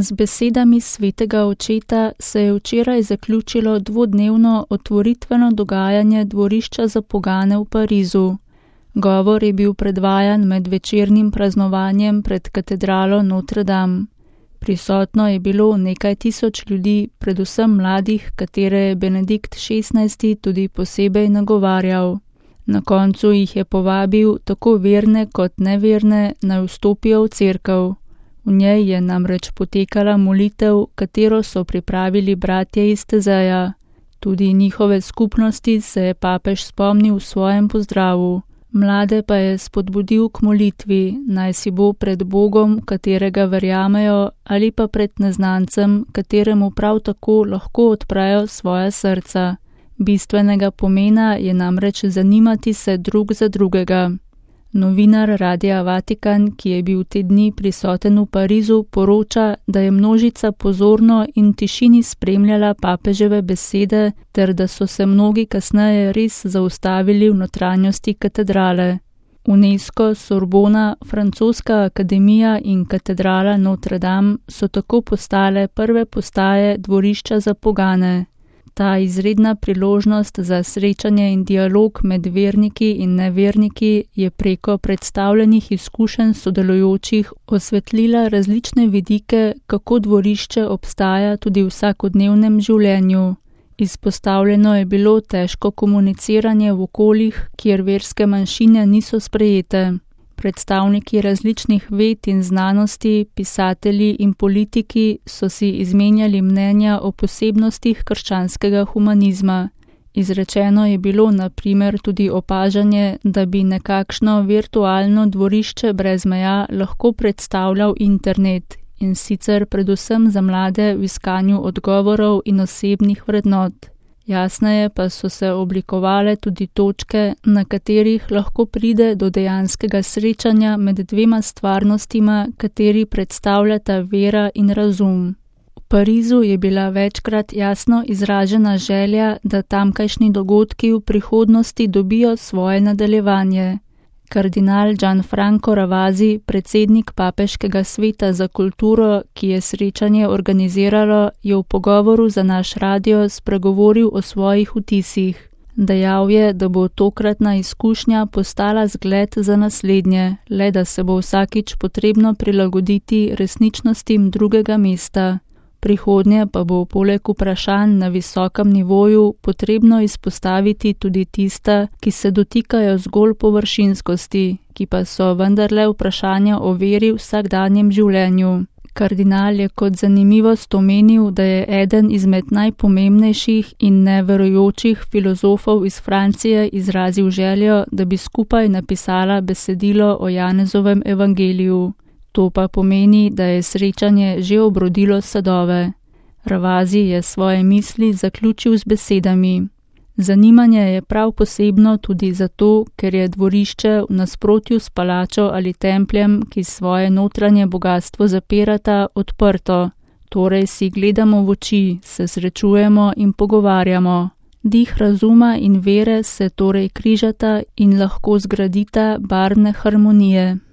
Z besedami svetega očeta se je včeraj zaključilo dvodnevno otvoritveno dogajanje dvorišča za pogane v Parizu. Govor je bil predvajan med večernim praznovanjem pred katedralo Notre Dame. Prisotno je bilo nekaj tisoč ljudi, predvsem mladih, katere je Benedikt XVI tudi posebej nagovarjal. Na koncu jih je povabil tako verne kot neverne, naj vstopijo v cerkev. V njej je namreč potekala molitev, katero so pripravili bratje iz Tezeja. Tudi njihove skupnosti se je papež spomnil v svojem pozdravu. Mlade pa je spodbudil k molitvi, naj si bo pred Bogom, katerega verjamejo, ali pa pred neznancem, kateremu prav tako lahko odprejo svoja srca. Bistvenega pomena je namreč zanimati se drug za drugega. Novinar Radia Vatikan, ki je bil te dni prisoten v Parizu, poroča, da je množica pozorno in v tišini spremljala papeževe besede ter da so se mnogi kasneje res zaustavili v notranjosti katedrale. UNESCO, Sorbona, Francoska akademija in katedrala Notre Dame so tako postale prve postaje dvorišča za pogane. Ta izredna priložnost za srečanje in dialog med verniki in neverniki je preko predstavljenih izkušenj sodelujočih osvetlila različne vidike, kako dvorišče obstaja tudi v vsakodnevnem življenju. Izpostavljeno je bilo težko komuniciranje v okoljih, kjer verske manjšine niso sprejete. Predstavniki različnih ved in znanosti, pisatelji in politiki so si izmenjali mnenja o posebnostih krščanskega humanizma. Izrečeno je bilo na primer tudi opažanje, da bi nekakšno virtualno dvorišče brez meja lahko predstavljal internet, in sicer predvsem za mlade v iskanju odgovorov in osebnih vrednot. Jasneje pa so se oblikovale tudi točke, na katerih lahko pride do dejanskega srečanja med dvema stvarnostima, kateri predstavljata vera in razum. V Parizu je bila večkrat jasno izražena želja, da tamkajšnji dogodki v prihodnosti dobijo svoje nadaljevanje. Kardinal Gianfranco Ravasi, predsednik Papeškega sveta za kulturo, ki je srečanje organiziralo, je v pogovoru za naš radio spregovoril o svojih vtisih. Dejal je, da bo tokratna izkušnja postala zgled za naslednje, le da se bo vsakič potrebno prilagoditi resničnostim drugega mesta. Prihodnje pa bo poleg vprašanj na visokem nivoju potrebno izpostaviti tudi tista, ki se dotikajo zgolj površinskosti, ki pa so vendarle vprašanja o veri v vsakdanjem življenju. Kardinal je kot zanimivost omenil, da je eden izmed najpomembnejših in neverujočih filozofov iz Francije izrazil željo, da bi skupaj napisala besedilo o Janezovem evangeliju. To pa pomeni, da je srečanje že obrodilo sadove. Ravasi je svoje misli zaključil z besedami. Zanimanje je prav posebno tudi zato, ker je dvorišče v nasprotju s palačo ali templjem, ki svoje notranje bogatstvo zapirata, odprto. Torej si gledamo v oči, se srečujemo in pogovarjamo. Dih razuma in vere se torej križata in lahko zgradita barvne harmonije.